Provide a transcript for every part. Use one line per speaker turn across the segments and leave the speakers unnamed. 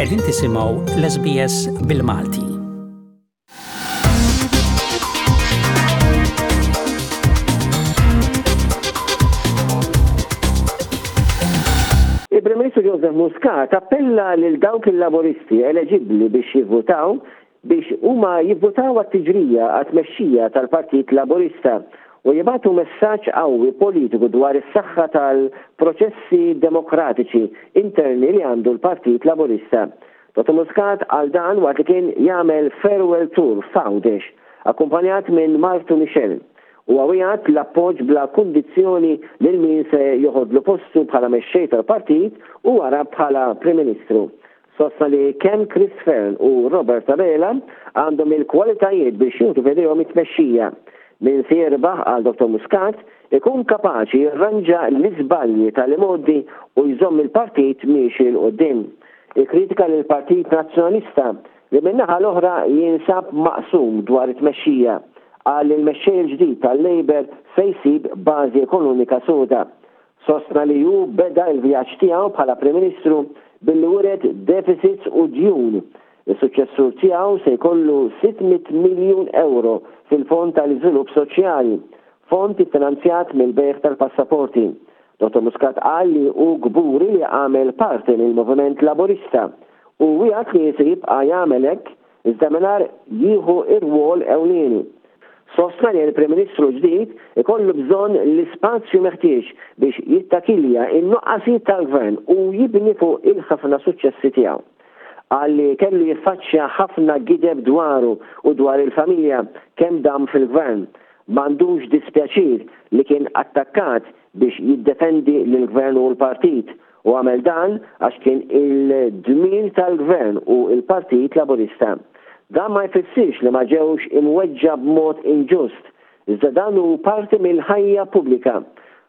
Qegħdin tisimgħu l-SBS bil-Malti.
Il-Prim Ministru Joseph Muscat appella lil dawk il-Laburisti eleġibbli biex jivvutaw biex huma jivvutaw għat-tiġrija għat-tmexxija tal-Partit Laburista u jibagħtu messaġġ qawwi politiku dwar is-saħħa tal-proċessi demokratiċi interni li għandu l-Partit Laburista. Dottor Muscat qal dan waqt li kien jagħmel farewell tour f'Għawdex, akkumpanjat minn martu Michelle. Huwa wiegħed l-appoġġ bla kundizzjoni lil min se joħodlu postu bħala mexxej tal-partit u wara bħala Prim Ministru. Sostna li kemm Chris Fearne u Robert Abela għandhom il-kwalitajiet biex jieħdu f'idejhom it-tmexxija. Min se jirbaħ, qal Dottor Muscat, ikun kapaċi jirranġa l-iżbalji tal-imgħoddi u jżomm il-partit miexi 'l quddiem. Ikkritika lill-Partit Nazzjonalista li min-naħa l-oħra jinsab maqsum dwar it-tmexxija. Qal li l-mexxej il-ġdid tal-Labour se jsib bażi ekonomika soda. Sostna li hu beda l-vjaġġ tiegħu bħala Prim Ministru billi wiret deficits u djun. Is-suċċessur tiegħu se jkollu 600 miljun ewro fil-Fond tal-Iżvilupp Soċjali, fond iffinanzjat mill-bejgħ tal-passaporti. Dottor Muscat qal li hu kburi li għamel parti mill-Moviment Laburista u wiegħed li se jibqa' jagħmel hekk iżda mingħajr jieħu r-rwol ewlieni. Sostna li l-Prim Ministru l-ġdid ikollu bżonn l-ispazju meħtieġ biex jittakilja n-nuqqasijiet tal-Gvern u jibni fuq il-ħafna suċċessi tiegħu. Qal li kellu jiffaċċja ħafna gideb dwaru u dwar il-familja kemm dam fil-Gvern. M'għandux dispjaċir li kien attakkat biex jiddefendi lill-Gvern u l-Partit u għamel dan għax kien il-dmir tal-Gvern u l-Partit Laburista. Dan ma jfissirx li ma ġewx imweġġa' b'mod inġust, iżda dan hu parti mill-ħajja pubblika.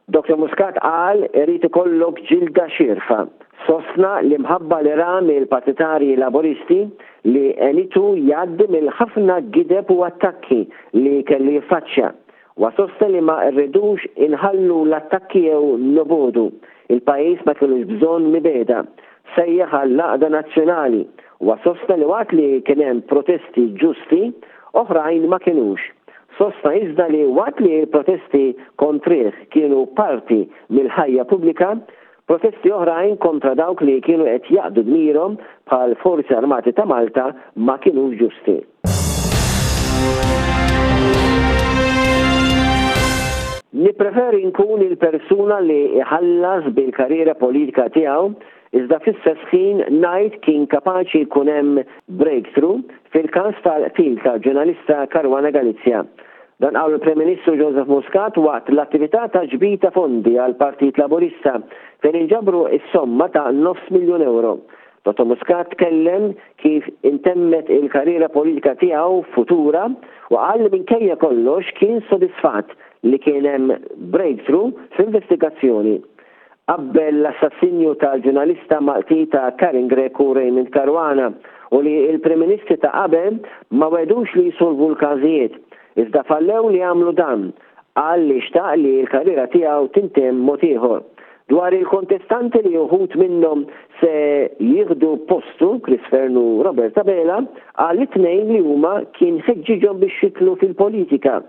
Dottor Muscat qal irid ikollok ġilda xierfa. Sostna l-imħabba li ra mill-partitarji Laburisti li għenitu jgħaddi mill-ħafna gideb u attakki li kellu jiffaċċja. Huwa sostna li ma rridux inħallu l-attakki jew nobogħdu. Il-pajjiż ma kellux bżonn mibegħda. Sejjaħ għall-għaqda nazzjonali. Huwa sostna li waqt li kien hemm protesti ġusti, oħrajn ma kinux. Sostna iżda li waqt li l-protesti kontrih kienu parti mill-ħajja pubblika, Protesti oħrajn kontra dawk li kienu qed jaqdu dmirhom bħal Forzi Armati ta' Malta ma kinux ġusti. Nippreferi nkun il-persuna li jħallas bil-karriera politika tiegħu iżda fl-istess ħin ngħid kien kapaċi jkun hemm breakthrough fil-każ tal-qtil tal-ġurnalista Caruana Galizia. Dan qalu l-Prim Ministru Joseph Muscat waqt l-attività ta' ġbir ta' fondi għall-Partit Laburista fejn inġabru s-somma ta' nofs miljun ewro. Dottor Muscat tkellem kif intemmet il-karriera politika tiegħu futura u qal li minkejja kollox kien sodisfatt li kien hemm breakthrough fl-investigazzjoni. Qabbel l-assassinju tal-ġurnalista Malti ta' Karin Grech u Raymond Caruana u li l-Prim Ministri ta' qabel ma wegħdux li jsolvu l-każijiet, iżda fallew li jagħmlu dan. Qal li xtaq li l-karriera tiegħu tintemm mod ieħor. Dwar il-kontestanti li uħud minnhom se jieħdu postu, Chris Fearne u Robert Abela, qal li t-tnejn li huma kien ħeġġiġhom biex jidħlu fil-politika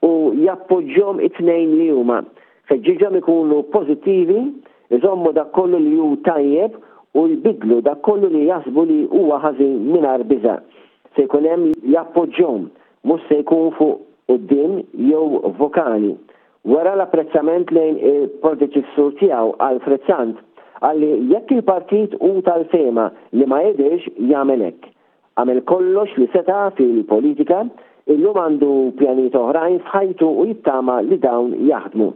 u jappoġġjhom it-tnejn li huma. Ħeġġiġhom ikunu pożittivi, iżommu dak kollu li hu tajjeb u jbiddlu dak kollu li jaħsbu li huwa ħażin mingħajr biża'. Se jkun hemm li jappoġġhom, mhux se jkun fuq quddiem jew vokali. Wera l-apprezzament lejn il-predeċessur tiegħu Alfred Sant, qal li jekk il-partit hu tal-fehma li ma jidhirx jagħmel hekk. Għamel kollox li seta' fil-politika, illum għandu pjanijiet oħrajn f'ħajtu u jittama li dawn jaħdmu.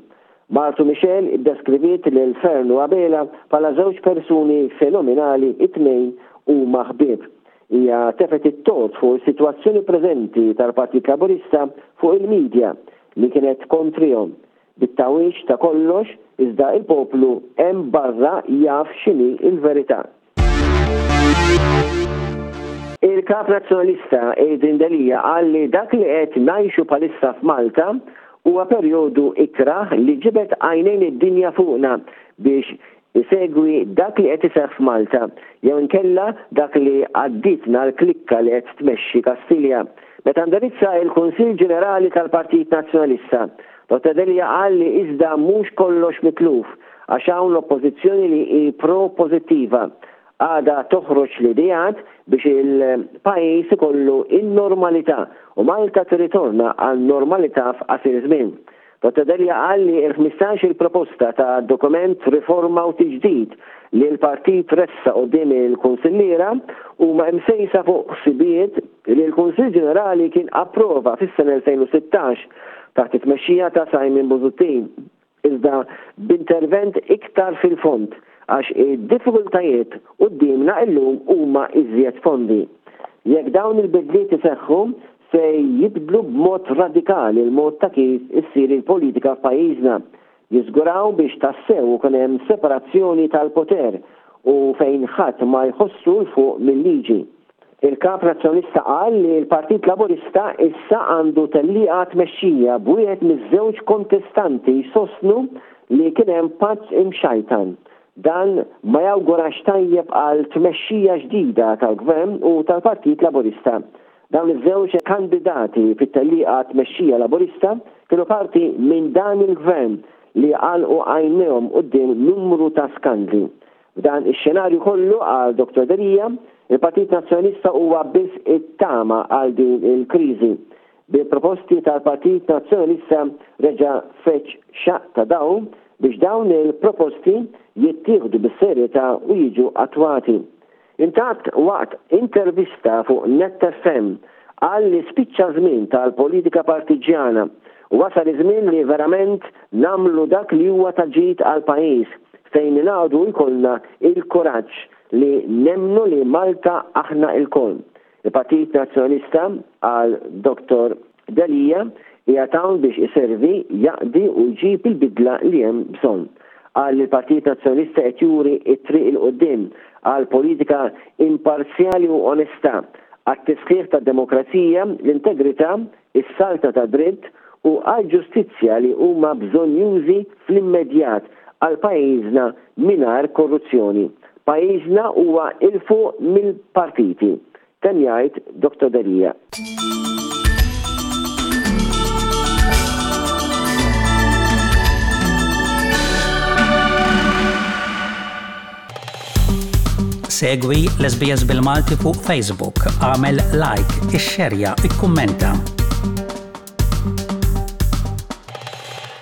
Martu Michelle iddeskriviet lil Fearne u Abela bħala żewġ persuni fenomenali it-tnejn huma ħbieb. Hija tefgħet it-tort fuq is-sitwazzjoni preżenti tal-Partit Laburista fuq il-media li kienet kontrihom. Bit-tagħwiġ ta' kollox iżda il-poplu hemm barra jaf x'inhi l-verità. Il-Kap Nazzjonalista Adrian Delia qal li dak li qed ngħixu bħalissa f'Malta huwa perjodu ikrah li ġibed għajnejn id-dinja fuqna biex Isegwi dak li qed iseħħ f'Malta, jew inkella dak li għaddietna l-klikka li qed tmexxi Kastilja. Meta indirizza il-Kunsill Ġenerali tal-Partit Nazzjonalista, Dottor Delia qal li iżda mhux kollox mitluf għax hawn l-Oppożizzjoni li hi pro-pożittiva. Għadha toħroġ l-ideat biex il-pajjiż ikollu n-normalità u Malta tirritorna għan-normalità f'qasir żmien. Dottor Delia qal li l-15 il proposta ta' dokument riforma u tiġdid li l-partit ressaq quddiem il-kunsilliera huma imsejsa fuq ħsibijiet li l-Kunsill Ġenerali kien approva fis-sena 2016 taħt it-tmexxija ta' Simon Busuttil, iżda b'intervent iktar fil-fond għax id-diffikultajiet quddiemna illum huma iżjed fondi. Jekk dawn il-bidliet iseħħu, se jibdlu b'mod radikali l-mod ta' kif issir il-politika f'pajjiżna, jiżguraw biex tassew ikun hemm separazzjoni tal-poter u fejn ħadd ma jħossu 'l fuq mil-liġi. Il-Kap Nazzjonalista qal li l-Partit Laburista issa għandu tellieqa tmexxija b'wieħed miż-żewġ kontestanti jsostnu li kien hemm patt imxajtan. Dan ma jawgurax tajjeb għal tmexxija ġdida tal-Gvern u tal-Partit Laburista. Dawn iż-żewġ kandidati fit-tellieqa għat-tmexxija Laburista kienu parti minn dan il-Gvern li għalqu għajnejhom quddiem numru ta' skandli. F'dan ix-xenarju kollu, qal Dottor Delia, il-Partit Nazzjonalista huwa biss it-tama għal din il-kriżi. Bil-proposti tal-Partit Nazzjonalista reġa' feġġ xaqq ta' dawl biex dawn il-proposti jittieħdu bis-serjetà u jiġu attwati. Intant waqt intervista fuq Net FM qal li spiċċa ż-żmien tal-politika partiġġjana u wasal iż-żmien li verament nagħmlu dak li huwa ta' ġid għall-pajjiż fejn ningħaqdu u jkollna il-kuraġġ li nemmnu li Malta aħna ilkoll. Il-Partit Nazzjonalista, qal Dottor Delia, qiegħed hawn biex iservi, jaqdi u jġib il-bidla li hemm bżonn. Qal li l-Partit Nazzjonalista qed juri t-triq 'il quddiem għal politika imparzjali u onesta, għat-tisħiħ tad-demokrazija, l-integrità, is-saltna tad-dritt u għall-ġustizzja li huma bżonnjużi fl-immedjat għal pajjiżna mingħajr korruzzjoni. Pajjiżna huwa 'il fuq mill-partiti, temm jgħid Dottor Delia.
Segwi l-SBS bil-Malti fuq Facebook, għamel like, ixxerja, ikkummenta.